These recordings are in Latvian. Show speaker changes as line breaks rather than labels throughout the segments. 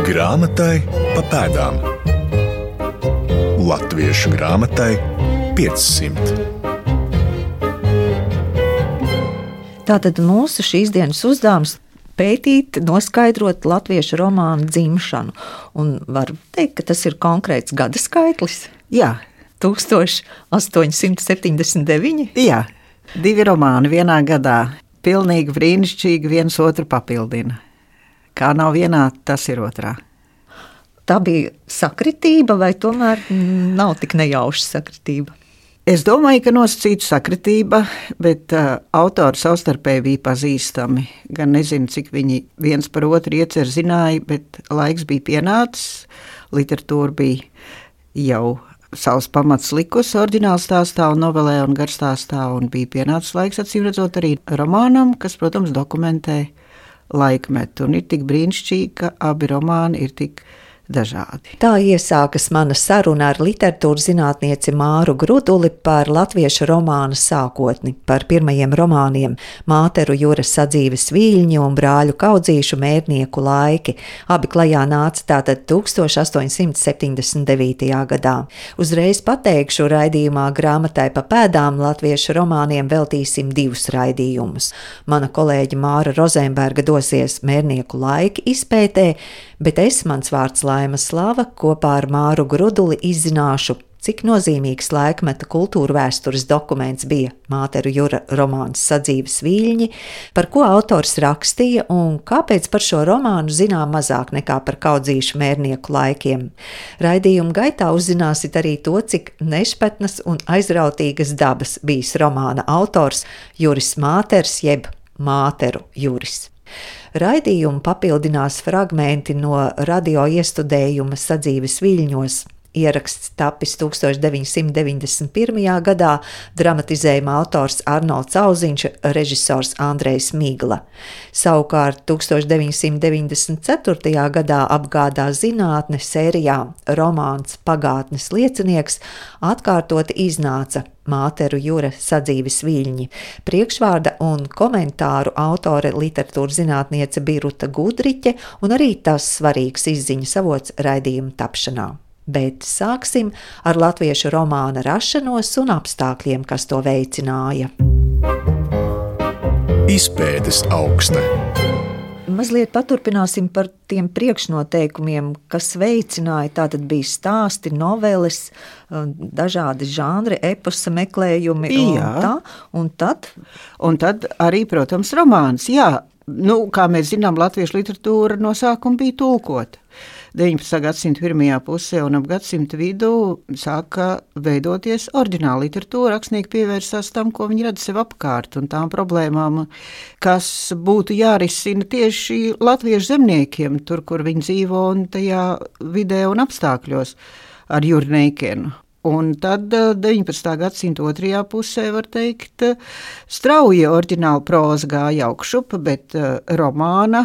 Grāmatai pa pēdām. Latviešu grāmatai 500.
Tātad mūsu šīs dienas uzdevums pētīt, noskaidrot latviešu romānu dzimšanu. Un var teikt, ka tas ir konkrēts gada skaitlis.
Jā.
1879.
Jā, 2 romāni vienā gadā. Pilnīgi brīnišķīgi, viens otru papildina. Kā nav vienā, tas ir otrā.
Tā bija sakritība vai tomēr nav tik nejauša sakritība?
Es domāju, ka nosacīta sakritība, bet autori savstarpēji bija pazīstami. Gan nezinu, cik viņi viens par otru ieceru zināja, bet laiks bija pienācis, literatūra bija jau savus pamats likusi oriģināla stāstā un novelē un garstāstā, un bija pienācis laiks, acīm redzot, arī romānam, kas, protams, dokumentē laikmetu. Un ir tik brīnišķīgi, ka abi romāni ir tik dažādi.
Tā iesākas mana saruna ar literatūras zinātnieci Māru Gruduli par latviešu romānu sākotni, par pirmajiem romāniem Māteru Juras sadzīves viļņi un Brāļu Kaudzīšu mērnieku laiki. Abi klajā nāca tātad 1879. gadā. Uzreiz pateikšu, raidījumā Grāmatai pa pēdām latviešu romāniem veltīsim 2 raidījumus. Mana kolēģe Māra Rozenberga dosies mērnieku laiki izpētē, bet mans vārds Laima Slava, kopā ar Māru Gruduli izzināšu, cik nozīmīgs laikmeta kultūra vēstures dokuments bija Māteru Jura romāns Sadzīves viļņi, par ko autors rakstīja un kāpēc par šo romānu zinām mazāk nekā par Kaudzīšu mērnieku laikiem. Raidījuma gaitā uzzināsit arī to, cik nešpatnas un aizrautīgas dabas bijis romāna autors Juris Māters jeb Māteru Juris. Raidījumu papildinās fragmenti no radio iestudējuma Sadzīves viļņos. Ieraksts tapis 1991. gadā, dramatizējuma autors Arnolds Auziņš, režisors Andrejs Migla. Savukārt 1994. gadā apgādā zinātne sērijā romāns Pagātnes liecinieks atkārtoti iznāca Māteru Jura sadzīves viļņi. Priekšvārda un komentāru autore literatūras zinātniece Biruta Gudriķe un arī tas svarīgs izziņas avots raidījuma tapšanā. Bet sāksim ar latviešu romāna rašanos un apstākļiem, kas to veicināja.
Izpētes aukste.
Mazliet paturpināsim par tiem priekšnoteikumiem, kas veicināja. Tātad bija stāsti, noveles, dažādi žanri, eposa meklējumi. Un tad
arī, protams, romāns. Jā, kā mēs zinām, latviešu literatūra no sākuma bija tulkota. 19. gadsimta pirmajā pusē un ap gadsimta vidū sāka veidoties oriģināla literatūra. Rakstnieki pievērsās tam, ko viņi redz sev apkārt, un tām problēmām, kas būtu jārisina tieši latviešu zemniekiem, tur, kur viņi dzīvo, un tajā vidē un apstākļos ar Jurneikenu. Un tad 19. gadsimta otrajā pusē, var teikt, strauja oriģināla próza gāja augšup, bet romāna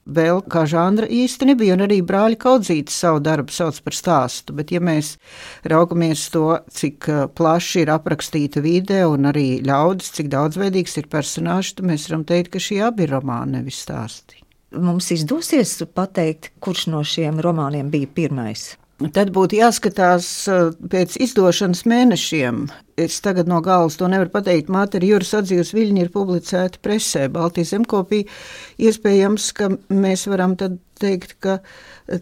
vēl kā žanra īsti nebija, un arī Brāļi Kaudzīti savu darbu sauc par stāstu, bet ja mēs raugamies to, cik plaši ir aprakstīta vide un arī ļaudis, cik daudzveidīgs ir personāžs, tad mēs varam teikt, ka šie abi ir romāni, nevis stāsti.
Mums izdosies pateikt, kurš no šiem romāniem bija pirmais?
Tad būtu jāskatās pēc izdošanas mēnešiem. Es tagad no galvas to nevaru pateikt. Māteru Jura sadzīves viļņi ir publicēti presē, Baltijas zemkopī. Iespējams, ka mēs varam tad teikt, ka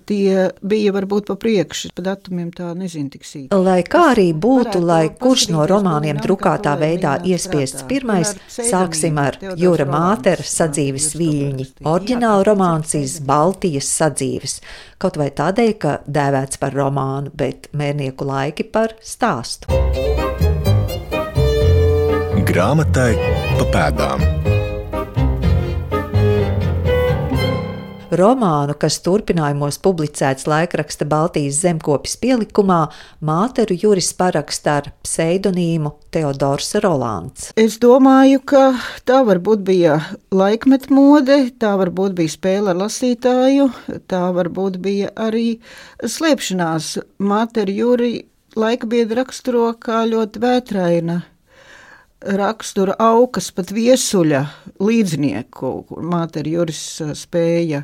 tie bija varbūt pa priekšu. Pa datumiem tā nezinu tik sīk.
Lai kā arī būtu, lai kurš no romāniem drukātā veidā iespiests pirmais, sāksim ar Jura Mātera sadzīves viļņi. Oriģināla romāns iz Baltijas sadzīves. Kaut vai tādēļ, ka dēvēts par romānu, bet mērnieku laiki par stāstu.
Grāmatai pa pēdām.
Romānu, kas turpinājumos publicēts laikraksta Baltijas zemkopis pielikumā, Māteru Juris paraksta ar pseidonīmu Teodors Rolands.
Es domāju, ka tā varbūt bija laikmet mode, tā varbūt bija spēle ar lasītāju, tā varbūt bija arī slēpšanās. Māteru Juri laikbiedri raksturo kā ļoti vētraina rakstura aukas, pat viesuļa līdznieku, kur Māteru Juris spēja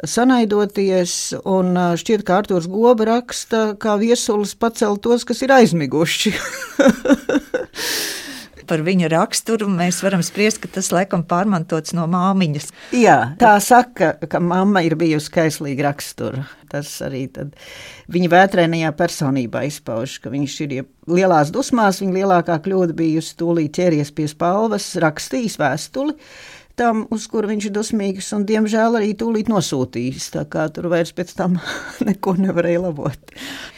sanaidoties, un šķiet, ka Artūrs Goba raksta, kā viesulis pacel tos, kas ir aizmiguši.
Par viņa raksturu mēs varam spriest, ka tas laikam pārmantots no māmiņas.
Jā, tā saka, ka mamma ir bijusi kaislīga rakstura. Tas arī tad viņa vētrainajā personībā izpauž, ka viņš ir lielās dusmās, viņa lielākā kļūda bijusi tūlīt ķēries pie spalvas, rakstījis vēstuli tam, uz kuru viņš ir dusmīgs, un diemžēl arī tūlīt nosūtījis, tā kā tur vairs pēc tam neko nevarēja labot.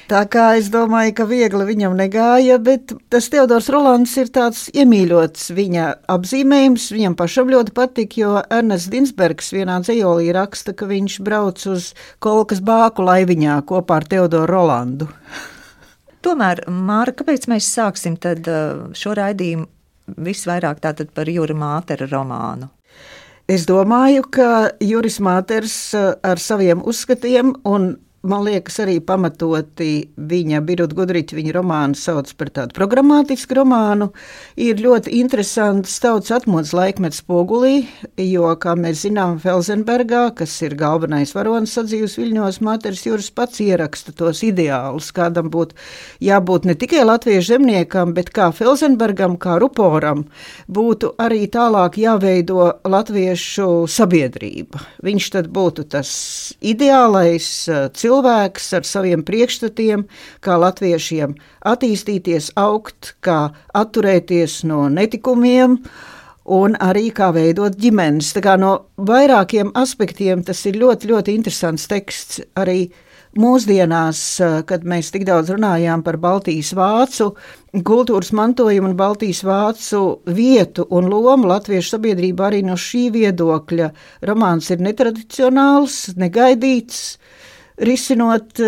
Tā kā es domāju, ka viegli viņam negāja, bet tas Teodors Rolands ir tāds iemīļots viņa apzīmējums, viņam pašam ļoti patika, jo Ernests Dinsbergs vienā dzejolī raksta, ka viņš brauc uz Kolkas bāku laiviņā kopā ar Teodoru Rolandu.
Tomēr, Māra, kāpēc mēs sāksim tad šo raidījumu visvairāk tātad par Jura Mātera romānu?
Es domāju, ka Juris Māters ar saviem uzskatiem un, man liekas, arī pamatoti viņa Birut Gudriķa, viņa romānu sauc par tādu programmatisku romānu, ir ļoti interesants tautas atmodas laikmets spogulī, jo, kā mēs zinām, Felsenbergā, kas ir galvenais varonis sadzīves Viļņos, Māters Juris pats ieraksta tos ideālus, kādam būtu jābūt ne tikai latviešu zemniekam, bet kā Felsenbergam, kā ruporam, būtu arī tālāk jāveido latviešu sabiedrība. Viņš tad būtu tas ideālais cilvēks ar saviem priekšstatiem, kā latviešiem attīstīties, augt, kā atturēties no netikumiem un arī kā veidot ģimenes. Tā kā no vairākiem aspektiem tas ir ļoti, ļoti interesants teksts. Arī mūsdienās, kad mēs tik daudz runājām par Baltijas vācu kultūras mantojumu un Baltijas vācu vietu un lomu latviešu sabiedrībā, arī no šī viedokļa romāns ir netradicionāls, negaidīts, risinot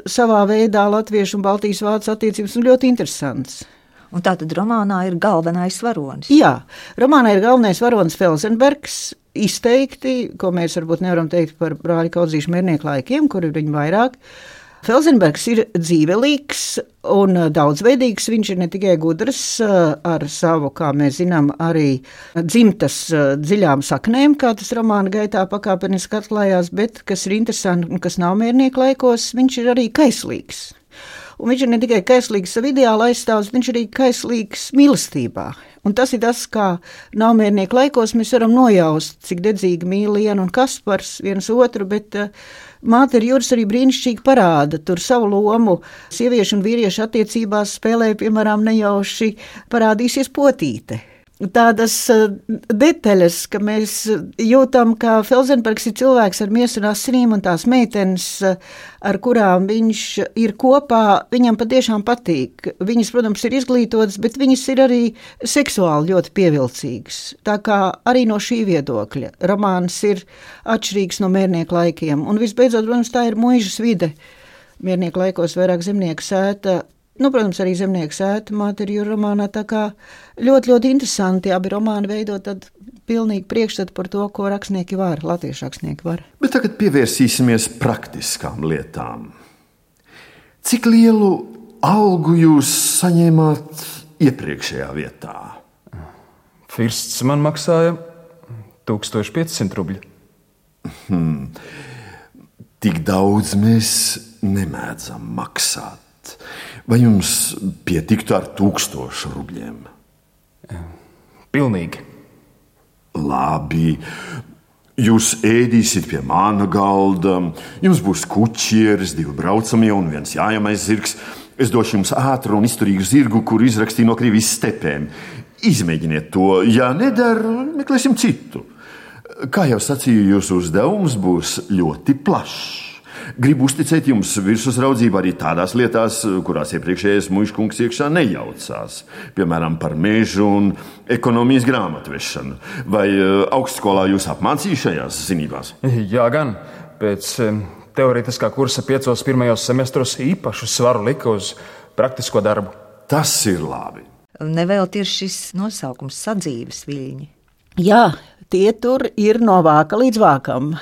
savā veidā latviešu un Baltijas vācu attiecības, un ļoti interesants.
Un tātad romānā ir galvenais varonis.
Jā, romānā ir galvenais varonis Felsenbergs, izteikti, ko mēs varbūt nevaram teikt par brāļa Kaudzīša Mērnieku laikiem, kur ir viņi vairāk. Felsenbergs ir dzīvelīgs un daudzveidīgs. Viņš ir ne tikai gudrs ar savu, kā mēs zinām, arī dzimtas dziļām saknēm, kā tas romāna gaitā pakāpeniski atklājās, bet, kas ir interesanti un kas nav Mērnieku laikos, viņš ir arī kaislīgs. Un viņš ir ne tikai kaislīgs savu ideālu aizstāvs, viņš ir arī kaislīgs mīlestībā. Un tas ir tas, kā Naumiernieku laikos mēs varam nojaust, cik dedzīgi mīl Liena un Kaspars viens otru, bet Mātera Juris arī brīnišķīgi parāda tur savu lomu. Sieviešu un vīriešu attiecībās spēlē, piemēram, nejauši parādīsies potīte. Tādas detaļas, ka mēs jūtam, ka Felsenbergs ir cilvēks ar miesu un asinīm, un tās meitenes, ar kurām viņš ir kopā, viņam patiešām patīk. Viņas, protams, ir izglītotas, bet viņas ir arī seksuāli ļoti pievilcīgas. Tā kā arī no šī viedokļa romāns ir atšķirīgs no Mērnieku laikiem. Un visbeidzot, protams, tā ir muižas vide. Mērnieku laikos vairāk zemnieku sēta. Protams, arī zemnieku sēta Mātera Jura romānā, tā kā ļoti, ļoti interesanti abi romāni veido tad pilnīgi priekšstatu par to, ko rakstnieki var, latviešu rakstnieki var.
Bet tagad pievērsīsimies praktiskām lietām. Cik lielu algu jūs saņēmāt iepriekšējā vietā?
Firsts man maksāja 1500 rubļu.
Tik daudz mēs nemēdzam maksāt. Vai jums pietiktu ar 1000 rubļiem?
Pilnīgi.
Labi. Jūs ēdīsiet pie mana galda, jums būs kuķieris, 2 braucamie un 1 jājamais zirgs. Es došu jums ātru un izturīgu zirgu, kuru izrakstīju no Krievijas stepēm. Izmēģiniet to, ja nedara, meklēsim citu. Kā jau sacīju, jūsu uzdevums būs ļoti plašs. Gribu uzticēt jums virsuzraudzību arī tādās lietās, kurās iepriekšējais muižkungs iekšā nejaucās. Piemēram, par mežu un ekonomijas grāmatvešanu. Vai augstskolā jūs apmācīja šajās zinībās?
Jā, gan. Pēc teorētiskā kursa 5 pirmajos semestros īpašu svaru lika uz praktisko darbu.
Tas ir labi.
Nevēlt ir šis nosaukums sadzīves viļņi.
Jā, tie tur ir no vāka līdz vākam.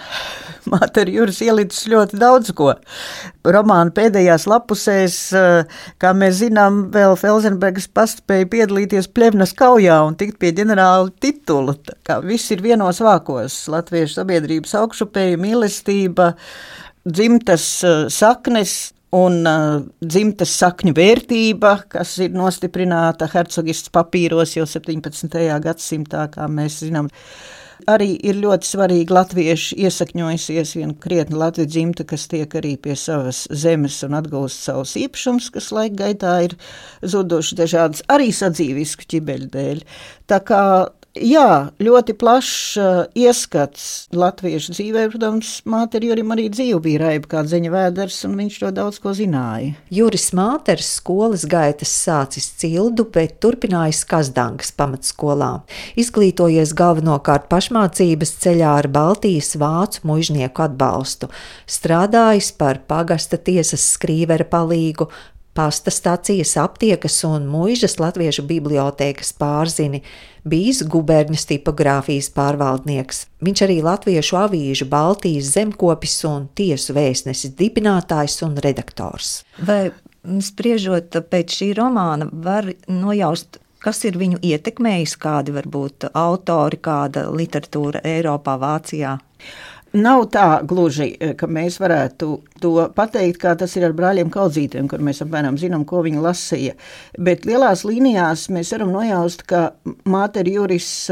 Māte Juris ielicis ļoti daudz ko. Romāna pēdējās lapusēs, kā mēs zinām, vēl Felsenbergs paspēja piedalīties Pļevnas kaujā un tikt pie ģenerāla titula. Viss ir vienos vākos - latviešu sabiedrības augšupeja, mīlestība, dzimtas saknes un dzimtas sakņu vērtība, kas ir nostiprināta hercogists papīros jau 17. gadsimtā, kā mēs zinām. Arī ir ļoti svarīgi latvieši iesakņojusies viena krietna latviešu dzimta, kas tiek arī pie savas zemes un atgūst savus īpašumus, kas laika gaitā ir zuduši dažādas arī sadzīvisku ķibeļu dēļ. Tā kā jā, ļoti plašs ieskats latviešu dzīvē, protams, Māte Jurim arī dzīve bija raiba kā dzeņa vēders, un viņš to daudz ko zināja.
Juris Māters skolas gaitas sācis Cildu, bet turpinājis Kazdangas pamatskolā. Izglītojies galvenokārt pašmācības ceļā ar Baltijas vācu muižnieku atbalstu. Strādājis par pagasta tiesas skrīvera palīgu, pasta stacijas, aptiekas un muižas latviešu bibliotēkas pārzini, bijis guberņas tipogrāfijas pārvaldnieks. Viņš arī latviešu avīžu Baltijas zemkopis un tiesu vēstnesis dibinātājs un redaktors.
Vai spriežot pēc šī romāna var nojaust, kas ir viņu ietekmējis, kādi varbūt autori, kāda literatūra Eiropā, Vācijā?
Nav tā gluži, ka mēs varētu to pateikt, kā tas ir ar brāļiem Kaudzītiem, kur mēs apmēram zinām, ko viņi lasīja. Bet lielās līnijās mēs varam nojaust, ka Māte Juris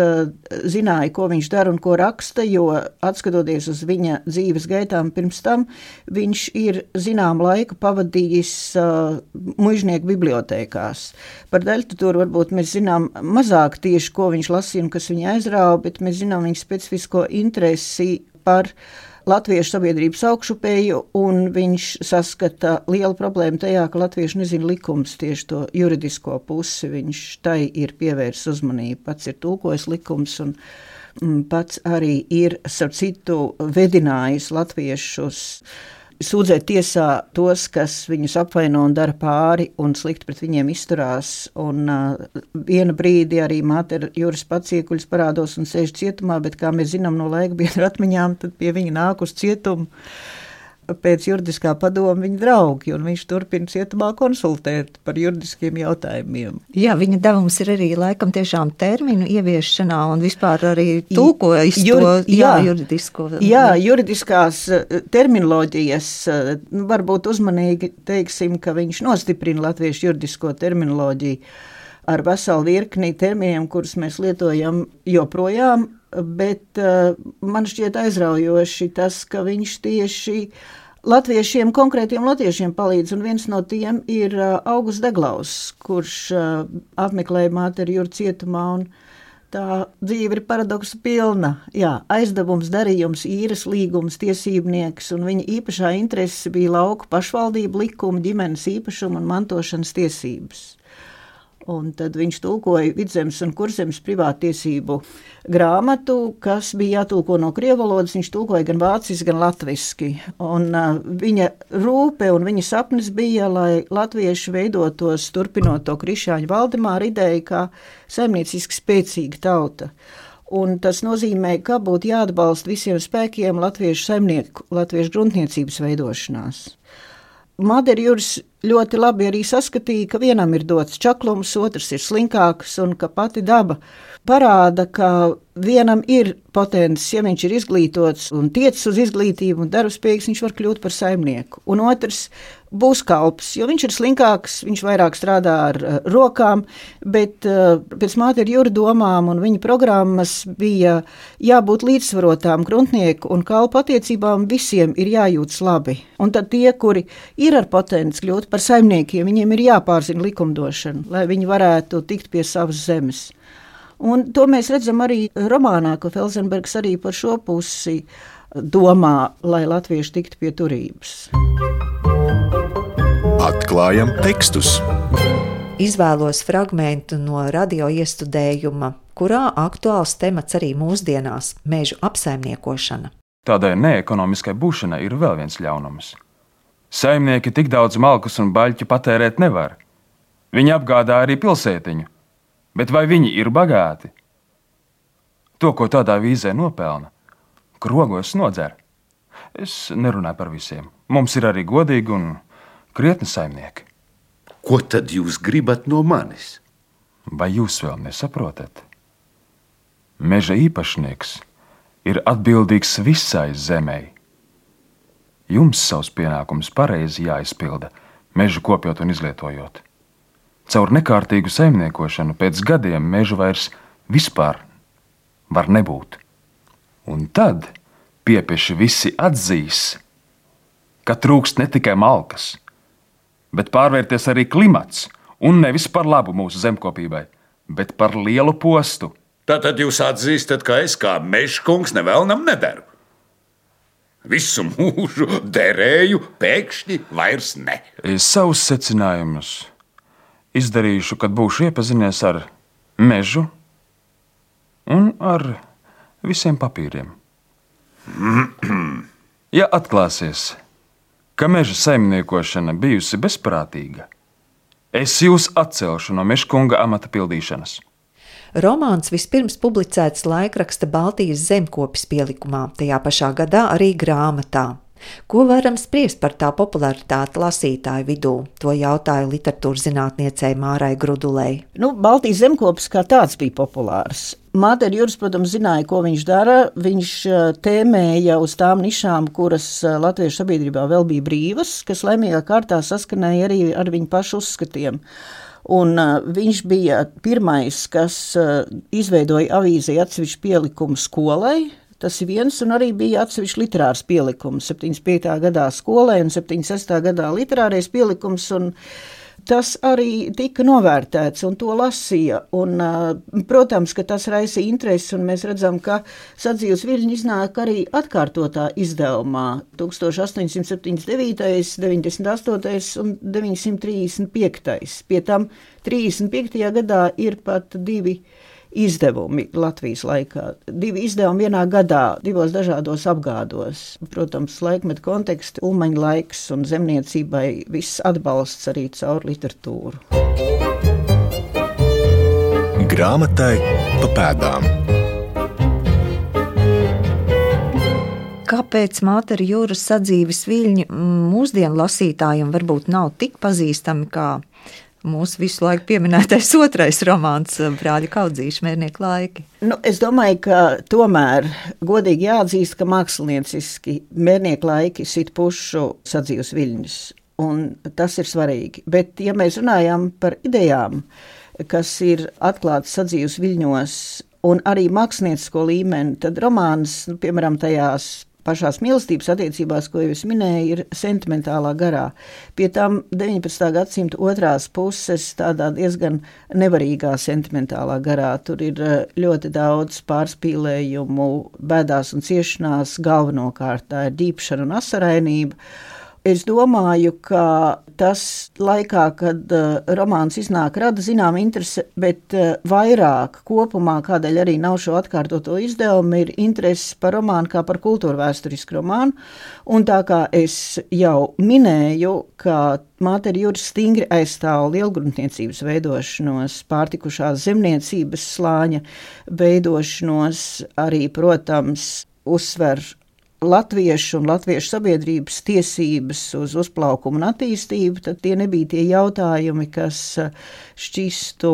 zināja, ko viņš dara un ko raksta, jo atskatoties uz viņa dzīves gaitām pirms tam, viņš ir zinām laiku pavadījis muižnieku bibliotēkās. Par daļtutūru varbūt mēs zinām mazāk tieši, ko viņš lasīja un kas viņa aizrāva, bet mēs zinām viņa specifisko interesi par latviešu sabiedrības augšupeju, un viņš saskata lielu problēmu tajā, ka latvieši nezina likums, tieši to juridisko pusi. Viņš tai ir pievērsis uzmanību. Pats ir tulkojis likums un pats arī ir, starp citu, vedinājis latviešus sūdzēt tiesā tos, kas viņus apvaino un dara pāri un slikti pret viņiem izturās. Un viena brīdi arī Māte Juris pats iekuļas parādos un sēž cietumā, bet kā mēs zinām no laika biedru atmiņām, tad pie viņa nāk uz cietumu pēc juridiskā padoma viņa draugi, un viņš turpina cietumā konsultēt par juridiskiem jautājumiem.
Jā, viņa devums ir arī laikam tiešām terminu ieviešanā un vispār arī tulkojas juridisko.
Jā, juridiskās terminoloģijas, varbūt uzmanīgi teiksim, ka viņš nostiprina latviešu juridisko terminoloģiju ar veselu virkni terminiem, kurus mēs lietojam joprojām, bet man šķiet aizraujoši tas, ka viņš tieši latviešiem, konkrētiem latviešiem palīdz, un viens no tiem ir Augusts Deglaus, kurš apmeklēja Māte Juri cietumā, un tā dzīve ir paradoksu pilna. Jā, aizdevums, darījums, īres līgums, tiesībnieks, un viņa īpašā interese bija lauku pašvaldību likumu, ģimenes īpašumu un mantošanas tiesības. Un tad viņš tulkoja Vidzemes un Kurzemes privātiesību grāmatu, kas bija jātulko no krievu valodas. Viņš tulkoja gan vāciski, gan latviski. Un viņa rūpe un viņa sapnis bija, lai latvieši veidotos, turpinot to Krišāņa Valdemāra ideju, kā saimnieciski spēcīga tauta. Un tas nozīmē, ka būtu jāatbalsta visiem spēkiem latviešu saimnieku, latviešu gruntniecības veidošanās. Māte Juris ļoti labi arī saskatīja, ka vienam ir dots čaklums, otrs ir slinkāks, un ka pati daba parāda, ka vienam ir potenciāls, ja viņš ir izglītots un tiecis uz izglītību un darbspējīgs, viņš var kļūt par saimnieku. Un otrs būs kalps, jo viņš ir slinkāks, viņš vairāk strādā ar rokām, bet pēc Māte Jura domām un viņa programmas bija jābūt līdzsvarotām gruntnieku un kalpu attiecībām, visiem ir jājūtas labi. Un tad tie, kuri ir ar potenciālu kļūt par saimniekiem, viņiem ir jāpārzina likumdošana, lai viņi varētu tikt pie savas zemes. Un to mēs redzam arī romānā, ko Felsenbergs arī par šo pusi domā, lai latvieši tiktu pie turības.
Atklājam tekstus.
Izvēlos fragmentu no radio iestudējuma, kurā aktuāls temats arī mūsdienās – mežu apsaimniekošana.
Tādai neekonomiskai būšanai ir vēl viens ļaunums. Saimnieki tik daudz malkus un baļķu patērēt nevar. Viņi apgādā arī pilsētiņu. Bet vai viņi ir bagāti? To, ko tādā vīzē nopelna, krogos nodzer. Es nerunāju par visiem. Mums ir arī godīgi un krietni saimnieki.
Ko tad jūs gribat no manis?
Vai jūs vēl nesaprotat? Meža īpašnieks ir atbildīgs visai zemei. Jums savs pienākums pareizi jāizpilda, mežu kopjot un izlietojot. Caur nekārtīgu saimniekošanu pēc gadiem mežu vairs vispār var nebūt. Un tad piepieši visi atzīs, ka trūkst ne tikai malkas, bet pārvērties arī klimats, un nevis par labu mūsu zemkopībai, bet par lielu postu.
Tātad jūs atzīstat, ka es kā mežkungs nevēlnam nedaru. Visu mūžu derēju, pēkšņi vairs ne.
Es savus secinājumus izdarīšu, kad būšu iepazinies ar mežu un ar visiem papīriem. Ja atklāsies, ka meža saimniekošana bijusi bezprātīga, es jūs atcelšu no mežkunga amata pildīšanas.
Romāns vispirms publicēts laikraksta Baltijas zemkopis pielikumā, tajā pašā gadā arī grāmatā. Ko varam spriest par tā popularitāti lasītāju vidū? To jautāju literatūras zinātniecei Mārai Grudulei.
Baltijas zemkopis kā tāds bija populārs. Māteri Juris, protams, zināja, ko viņš dara. Viņš tēmēja uz tām nišām, kuras latviešu sabiedrībā vēl bija brīvas, kas laimīgā kārtā saskanēja arī ar viņu pašu uzskatiem. Un viņš bija pirmais, kas izveidoja avīzei atsevišķu pielikumu skolai. Tas ir viens, un arī bija atsevišķi literārs pielikums 75. gadā skolai un 76. gadā literārais pielikums, un tas arī tika novērtēts, un to lasīja. Un, protams, ka tas raisa interesi, un mēs redzam, ka Sadzīves viļņi iznāk arī atkārtotā izdevumā 1879., 98. un 935. Pie tam 35. gadā ir pat 2 izdevumi Latvijas laikā. 2 izdevumi vienā gadā, 2 dažādos apgādos. Protams, laikmeta konteksti, Ulmaņa laiks un zemniecībai viss atbalsts arī caur literatūru.
Grāmatai pa pēdām.
Kāpēc Māteri Juras Sadzīves viļņi mūsdienu lasītājiem varbūt nav tik pazīstami kā mūsu visu laiku pieminētais otrais romāns Brāļa Kaudzīša Mērnieku laiki?
Es domāju, ka tomēr godīgi jāatzīst, ka mākslinieciski Mērnieku laiki sit pušu Sadzīves viļņus, un tas ir svarīgi. Bet, ja mēs runājam par idejām, kas ir atklātas Sadzīves viļņos un arī māksliniecisko līmeni, tad romāns, piemēram, tajās pašās mīlestības attiecībās, ko jau es minēju, ir sentimentālā garā. Pie tam 19. gadsimta otrās puses tādā diezgan nevarīgā sentimentālā garā. Tur ir ļoti daudz pārspīlējumu, bēdās un ciešanās, galvenokārt tā ir ģīpšana un asarainība. Es domāju, ka tas laikā, kad romāns iznāk, rada zinām interese, bet vairāk kopumā, kādēļ arī nav šo atkārtoto izdevumu, ir interese par romānu kā par kultūrvēsturisku romānu. Un tā kā es jau minēju, ka Māteri Juris stingri aizstāv lielgruntniecības veidošanos, pārtikušās zemniecības slāņa veidošanos, arī, protams, uzsver latviešu un latviešu sabiedrības tiesības uz uzplaukumu un attīstību, tad tie nebija tie jautājumi, kas šķistu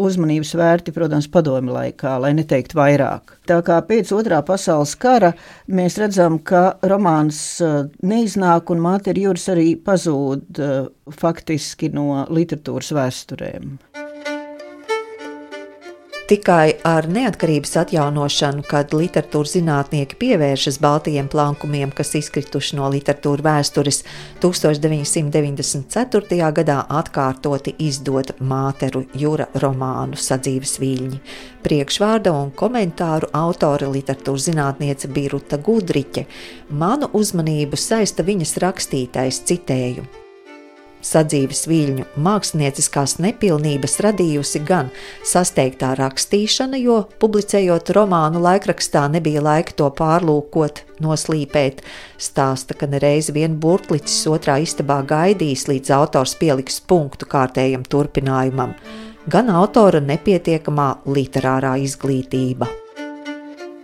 uzmanības vērti, protams, padomju laikā, lai neteikt vairāk. Tā kā pēc Otrā pasaules kara mēs redzam, ka romāns neiznāk un Māteri Juris arī pazūd faktiski no literatūras vēsturēm.
Tikai ar neatkarības atjaunošanu, kad literatūras zinātnieki pievēršas baltajiem plankumiem, kas izkrituši no literatūra vēstures, 1994. gadā atkārtoti izdod Māteru Jura romānu Sadzīves viļņi. Priekšvārda un komentāru autore literatūras zinātniece bija Ruta Gudriķe. Manu uzmanību saista viņas rakstītais, citēju: Sadzīves viļņu mākslinieciskās nepilnības radījusi gan sasteigtā rakstīšana, jo, publicējot romānu laikrakstā, nebija laika to pārlūkot, noslīpēt. Stāsta, ka nereiz vien burtlicis otrā istabā gaidījis, līdz autors pieliks punktu kārtējam turpinājumam, gan autora nepietiekamā literārā izglītība.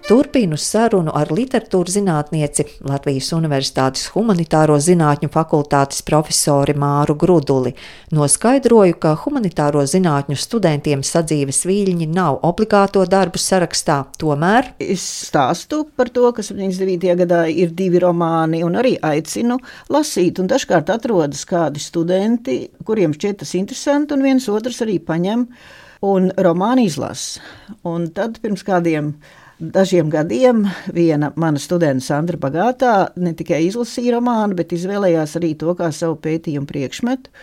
Turpinu sarunu ar literatūras zinātnieci, Latvijas Universitātes humanitāro zinātņu fakultātes profesori Māru Gruduli. Noskaidroju, ka humanitāro zinātņu studentiem sadzīves viļņi nav obligāto darbu sarakstā, tomēr
es stāstu par to, ka 79. gadā ir 2 romāni un arī aicinu lasīt, un dažkārt atrodas kādi studenti, kuriem šķiet tas interesanti, un viens otrs arī paņem un romānu izlasa. Un tad pirms kādiem dažiem gadiem viena mana studenta Sandra Bagātā ne tikai izlasīja romānu, bet izvēlējās arī to kā savu pētījumu priekšmetu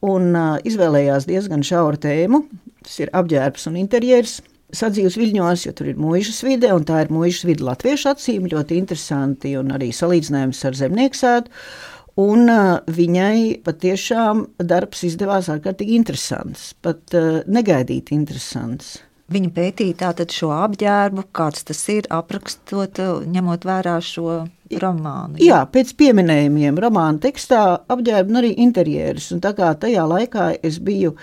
un izvēlējās diezgan šauru tēmu. Tas ir apģērbs un interjers sadzīves viļņos, jo tur ir muižas vide, un tā ir muižas vide latviešu acīm, ļoti interesanti un arī salīdzinājums ar zemnieksētu. Un viņai patiešām darbs izdevās ārkārtīgi interesants, pat negaidīti interesants.
Viņa pētīja tātad šo apģērbu, kāds tas ir, aprakstot, ņemot vērā šo romānu.
Jā, pēc pieminējumiem romāna tekstā apģērbu un arī interjerus. Un tā kā tajā laikā es biju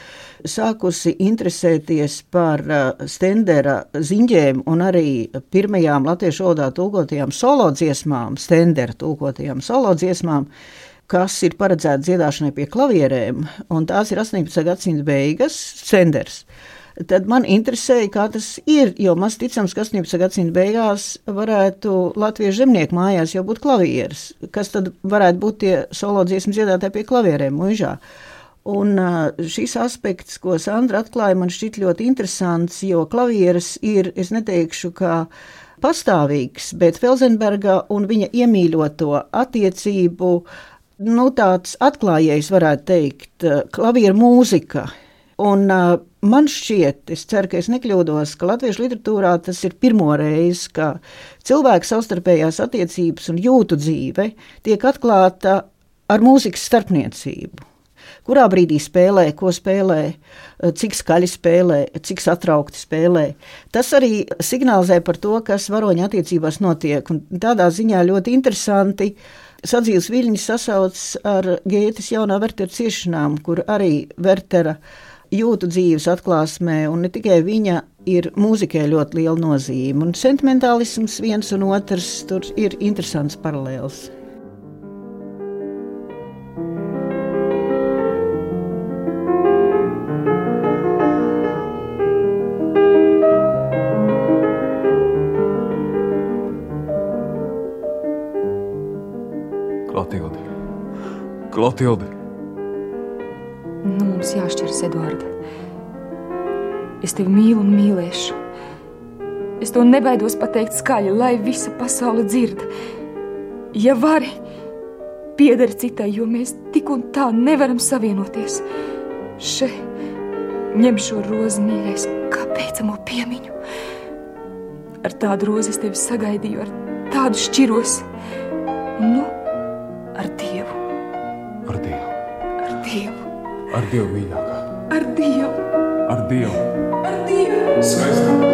sākusi interesēties par Stendera ziņģēm un arī pirmajām latviešu valodā tulkotajām solodziesmām, Stendera tulkotajām solodziesmām, kas ir paredzēta dziedāšanai pie klavierēm, un tās ir 18. gadsimta beigas, Stenders. Tad man interesēja, kā tas ir, jo maz ticams, ka 18. gadsimta beigās varētu latviešu zemnieku mājās jau būt klavieres, kas tad varētu būt tie solodziesmu dziedātāji pie klavierēm muižā. Un šis aspekts, ko Sandra atklāja, man šķiet ļoti interesants, jo klavieres ir, es neteikšu, kā pastāvīgs, bet Felsenberga un viņa iemīļoto attiecību, tāds atklājējs varētu teikt, klavieru mūzika. Un man šķiet, es ceru, ka es nekļūdos, ka latviešu literatūrā tas ir pirmo reizi, ka cilvēku savstarpējās attiecības un jūtu dzīve tiek atklāta ar mūzikas starpniecību. Kurā brīdī spēlē, ko spēlē, cik skaļi spēlē, cik satraukti spēlē. Tas arī signalizē par to, kas varoņa attiecībās notiek. Un tādā ziņā ļoti interesanti sadzīves viļņi sasauc ar Gētes jaunā Vertera ciešanām, kur arī Vertera jūtu dzīves atklāsmē, un ne tikai viņa ir mūzikai ļoti liela nozīme. Un sentimentālisms viens un otrs, tur ir interesants paralēls.
Klotilde.
Mums jāšķiras, Eduarda. Es tevi mīlu un mīlēšu. Es to nebaidos pateikt skaļi, lai visa pasaule dzird. Ja vari, piedari citai, jo mēs tik un tā nevaram savienoties. Še, ņem šo rozi, mīļais, kā beidzamo piemiņu. Ar tādu rozi es tevi sagaidīju, ar tādu šķiros. Nu, ar Dievu.
Ar Dievu.
Ar Dievu.
Ar Dievu, mīļākā.
Ar Dievu.
Ar Dievu.
Ar Dievu.
Skaistāk.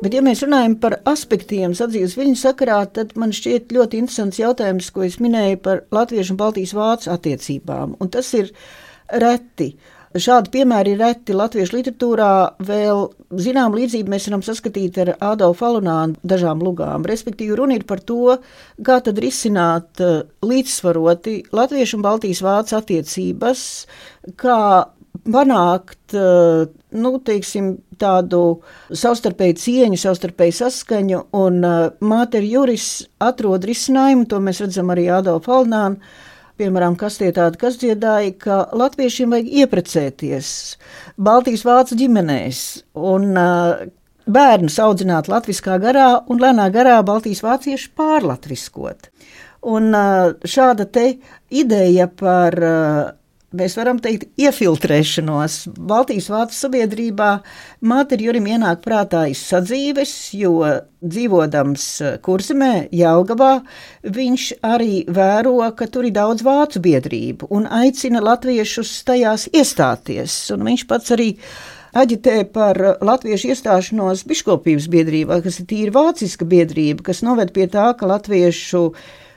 Bet, ja mēs runājam par aspektiem sadzīves viļņu sakarā, tad man šķiet ļoti interesants jautājums, ko es minēju par latviešu un baltijas vācu attiecībām. Un tas ir reti. Šādi piemēri ir reti latviešu literatūrā. Vēl zinām līdzību mēs varam saskatīt ar Ādolfu Alunānu dažām lugām. Respektīvi runa ir par to, kā tad risināt līdzsvaroti latviešu un baltijas vācu attiecības, kā panākt, tādu savstarpēju cieņu, savstarpēju saskaņu, un Māter Juris atrod risinājumu, to mēs redzam arī Ādolfu Alunānu, piemēram, kas tie tādi, kas dziedāja, ka latviešiem vajag ieprecēties Baltijas vācu ģimenēs un bērnus audzināt latviskā garā un lēnā garā Baltijas vācieši pārlatviskot. Un šāda te ideja par mēs varam teikt, iefiltrēšanos Baltijas vācu sabiedrībā Māter Jurim ienāk prātā iz sadzīves, jo dzīvodams Kurzemē, Jelgavā, viņš arī vēro, ka tur ir daudz vācu biedrību un aicina latviešus tajās iestāties. Un viņš pats arī aģitē par latviešu iestāšanos biškopības biedrībā, kas ir tīri vāciska biedrība, kas noved pie tā, ka latviešu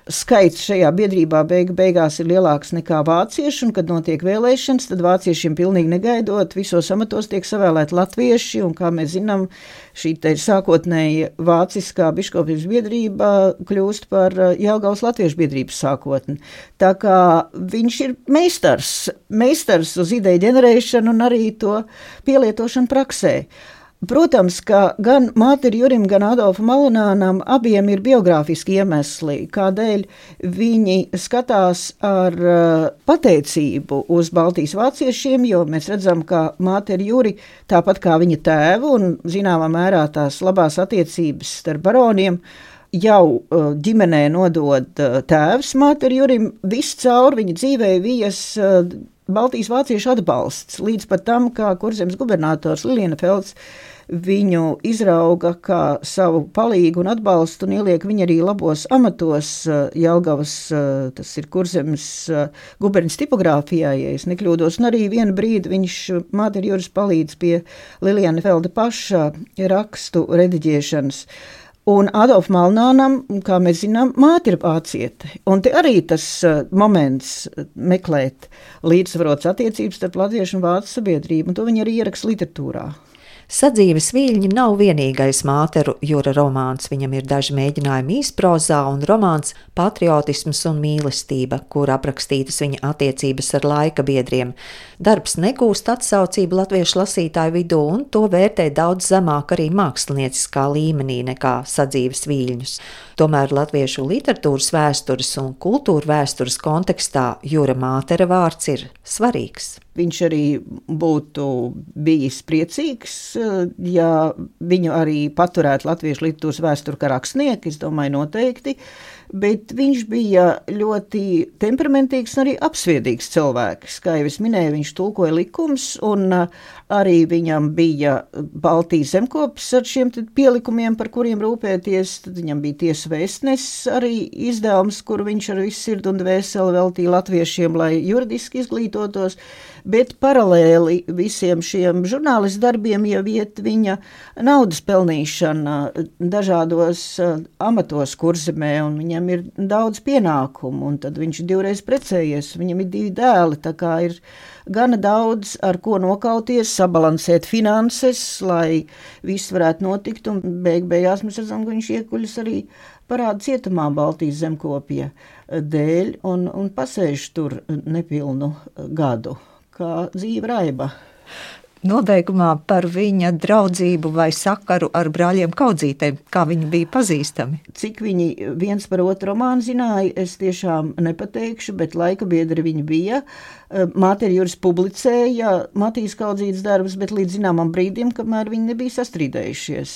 skaits šajā biedrībā beigās ir lielāks nekā vācieši, un kad notiek vēlēšanas, tad vāciešiem pilnīgi negaidot visos amatos tiek savēlēti latvieši, un kā mēs zinām, šī te sākotnēji vāciskā biškopības biedrība kļūst par Jelgavas latviešu biedrības sākotni. Tā kā viņš ir meistars uz ideju ģenerēšanu un arī to pielietošanu praksē. Protams, ka gan Māteri Jurim, gan Adolfam Alunānam abiem ir biogrāfiski iemesli, kādēļ viņi skatās ar pateicību uz Baltijas vāciešiem, jo mēs redzam, ka Māteri Juri, tāpat kā viņa tēvu un zināmā mērā tās labās attiecības starp baroniem, jau ģimenē nodod tēvs Māteri Jurim, viscaur viņa dzīvē vijas Baltijas vāciešu atbalsts, līdz pat tam, kā Kurzemes gubernators Lilienfelds viņu izrauga kā savu palīgu un atbalstu un ieliek viņu arī labos amatos Jelgavas, tas ir Kurzemes guberņas tipogrāfijā, ja es nekļūdos, un arī vienu brīdi viņš Māteri Juris palīdz pie Lilienfelda paša rakstu rediģēšanas. Un Adolfam Alunānam, kā mēs zinām, māte ir vāciete. Un te arī tas moments meklēt līdzsvarotas attiecības starp latviešu un vācu sabiedrību, un to viņi arī ieraksta literatūrā.
Sadzīves viļņi nav vienīgais Māteru Jura romāns. Viņam ir daži mēģinājumi īsprozā un romāns Patriotisms un mīlestība, kur aprakstītas viņa attiecības ar laika biedriem. Darbs negūst atsaucību latviešu lasītāju vidū, un to vērtē daudz zemāk arī mākslinieciskā līmenī nekā sadzīves viļņus. Tomēr latviešu literatūras vēstures un kultūra vēstures kontekstā Jura Mātera vārds ir svarīgs.
Viņš arī būtu bijis priecīgs, ja viņu arī paturētu latviešu literatūras vēsturi kā rakstnieku, es domāju noteikti, bet viņš bija ļoti temperamentīgs un arī apsviedīgs cilvēks. Kā jau es minēju, viņš tulkoja likumus, un arī viņam bija Baltijas zemkopis ar šiem pielikumiem, par kuriem rūpēties. Tad viņam bija Tiesa vēstnesis arī izdevums, kur viņš ar visu sirdi un dvēseli veltīja latviešiem, lai juridiski izglītotos, bet paralēli visiem šiem žurnālistu darbiem jau iet viņa naudas pelnīšana dažādos amatos Kurzemē, un viņam ir daudz pienākumu, un tad viņš ir 2 reizes precējies, viņam ir 2 dēli, tā kā ir gana daudz, ar ko nokauties, sabalansēt finanses, lai viss varētu notikt, un beigās mēs redzam, ka viņš iekuļas arī parāda cietumā Baltijas zemkopja dēļ, un pasēž tur nepilnu gadu, kā dzīve raiba.
Nobeigumā par viņa draudzību vai sakaru ar brāļiem Kaudzītēm, kā viņi bija pazīstami?
Cik viņi viens par otru romānu zināja, es tiešām nepateikšu, bet laika biedri viņi bija. Māteri Juris publicēja Matijas Kaudzītes darbus, bet līdz zināmam brīdim, kamēr viņi nebija sastrīdējušies.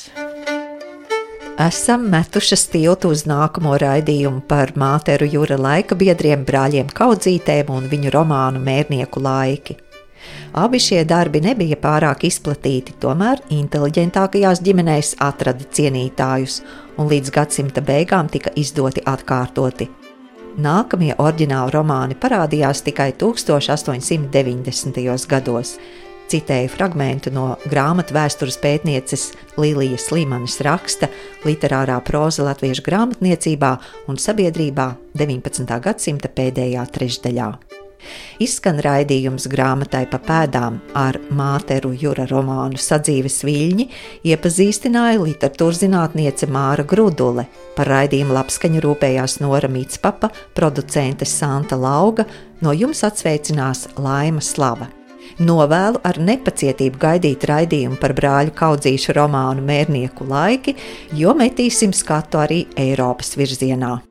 Esam metušas tiltu uz nākamo raidījumu par Māteru Jura laika biedriem brāļiem Kaudzītēm un viņu romānu Mērnieku laiki. Abi šie darbi nebija pārāk izplatīti, tomēr inteliģentākajās ģimenēs atrada cienītājus, un līdz gadsimta beigām tika izdoti atkārtoti. Nākamie oriģināli romāni parādījās tikai 1890. gados. Citēju fragmentu no grāmatu vēstures pētnieces Lilijas Līmanis raksta Literārā proza latviešu grāmatniecībā un sabiedrībā 19. gadsimta pēdējā trešdaļā. Izskan raidījums Grāmatai pa pēdām ar Māteru Jura romānu Sadzīves viļņi, iepazīstināja literatūrzinātniece Māra Grudule. Par raidījumu labskaņu rūpējās Nora Micpapa, producente Santa Lauga, no jums atsveicinās Laima Slava. Novēlu ar nepacietību gaidīt raidījumu par brāļu Kaudzīšu romānu Mērnieku laiki, jo metīsim skatu arī Eiropas virzienā.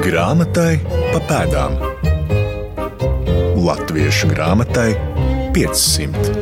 Grāmatai pa pēdām. Latviešu grāmatai 500.